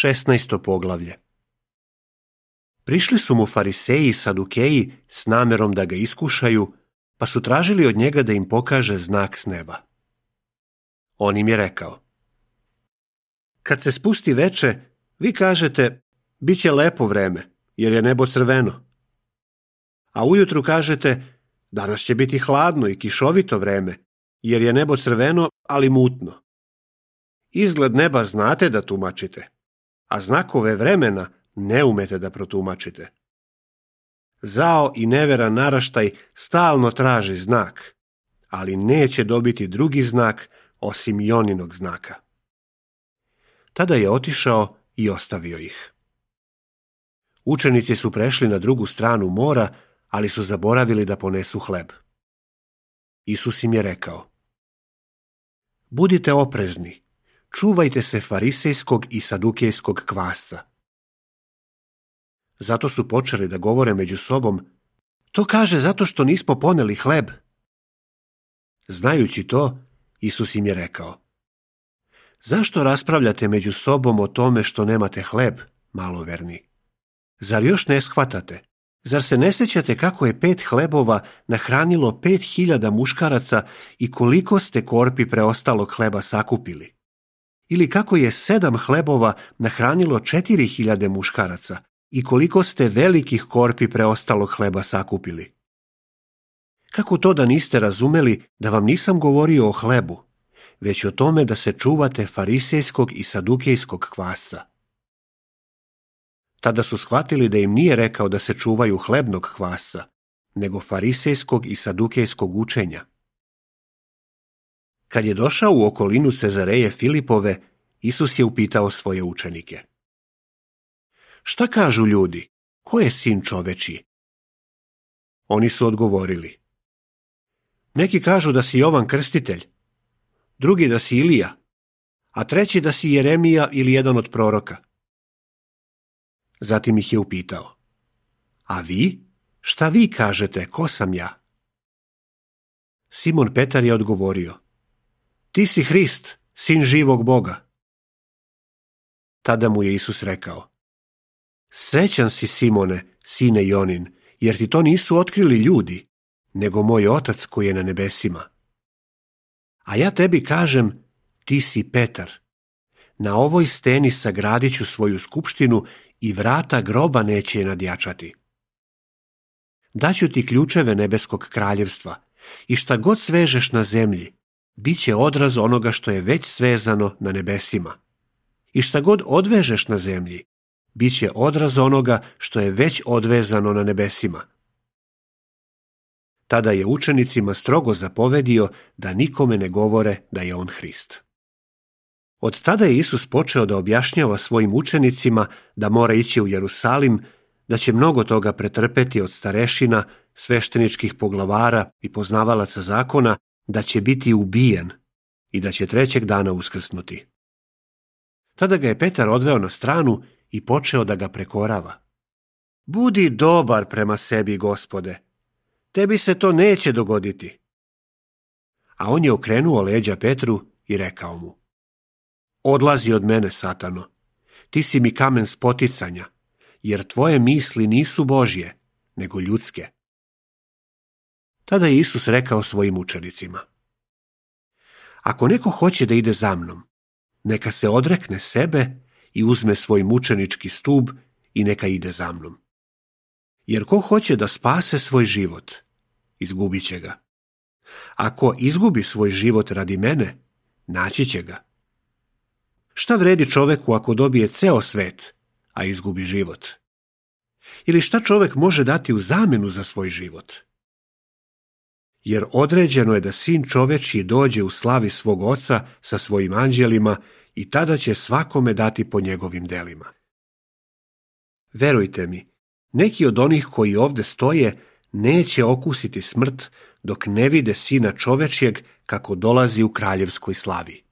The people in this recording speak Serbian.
16. poglavlje. Prišli su mu fariseji i sadukeji s namerom da ga iskušaju, pa su tražili od njega da im pokaže znak s neba. On im je rekao: kad se spusti veče, vi kažete, bit će lepo vreme, jer je nebo crveno. A ujutru kažete, danas će biti hladno i kišovito vreme, jer je nebo crveno, ali mutno. Izgled neba znate da tumačite, a znakove vremena ne umete da protumačite. Zao i neveran naraštaj stalno traži znak, ali neće dobiti drugi znak osim Joninog znaka. Tada je otišao i ostavio ih. Učenici su prešli na drugu stranu mora, ali su zaboravili da ponesu hleb. Isus im je rekao: budite oprezni, čuvajte se farisejskog i sadukejskog kvasca. Zato su počeli da govore među sobom: to kaže zato što nismo poneli hleb. Znajući to, Isus im je rekao: zašto raspravljate među sobom o tome što nemate hleb, maloverni? Zar još ne shvatate? Zar se ne sjećate kako je 5 hlebova nahranilo 5.000 muškaraca i koliko ste korpi preostalog hleba sakupili? Ili kako je 7 hlebova nahranilo 4.000 muškaraca i koliko ste velikih korpi preostalog hleba sakupili? Kako to da niste razumeli da vam nisam govorio o hlebu, već o tome da se čuvate farisejskog i sadukejskog kvasca? Tada su shvatili da im nije rekao da se čuvaju hlebnog kvasca, nego farisejskog i sadukejskog učenja. Kad je došao u okolinu Cezareje Filipove, Isus je upitao svoje učenike: šta kažu ljudi, ko je sin čovečiji? Oni su odgovorili: neki kažu da si Jovan Krstitelj, drugi da si Ilija, a treći da si Jeremija ili jedan od proroka. Zatim ih je upitao: a vi? Šta vi kažete, ko sam ja? Simon Petar je odgovorio: ti si Hrist, sin živog Boga. Tada mu je Isus rekao: srećan si, Simone, sine Jonin, jer ti to nisu otkrili ljudi, nego moj Otac koji je na nebesima. A ja tebi kažem, ti si Petar. Na ovoj steni sagradit ću svoju skupštinu i vrata groba neće je nadjačati. Daću ti ključeve nebeskog kraljevstva i šta god svežeš na zemlji, bit će odraz onoga što je već svezano na nebesima. I šta god odvežeš na zemlji, bit će odraz onoga što je već odvezano na nebesima. Tada je učenicima strogo zapovedio da nikome ne govore da je on Hrist. Od tada je Isus počeo da objašnjava svojim učenicima da mora ići u Jerusalim, da će mnogo toga pretrpeti od starešina, svešteničkih poglavara i poznavalaca zakona, da će biti ubijen i da će 3. dana uskrsnuti. Tada ga je Petar odveo na stranu i počeo da ga prekorava. Budi dobar prema sebi, Gospode, tebi se to neće dogoditi. A on je okrenuo leđa Petru i rekao mu: odlazi od mene, Satano, ti si mi kamen spoticanja, jer tvoje misli nisu Božje, nego ljudske. Tada je Isus rekao svojim učenicima: ako neko hoće da ide za mnom, neka se odrekne sebe i uzme svoj mučenički stub i neka ide za mnom. Jer ko hoće da spase svoj život, izgubit će ga. Ako izgubi svoj život radi mene, naći će ga. Šta vredi čoveku ako dobije ceo svet, a izgubi život? Ili šta čovek može dati u zamenu za svoj život? Jer određeno je da sin čovečji dođe u slavi svog oca sa svojim anđelima i tada će svakome dati po njegovim delima. Verujte mi, neki od onih koji ovde stoje neće okusiti smrt dok ne vide sina čovečjeg kako dolazi u kraljevskoj slavi.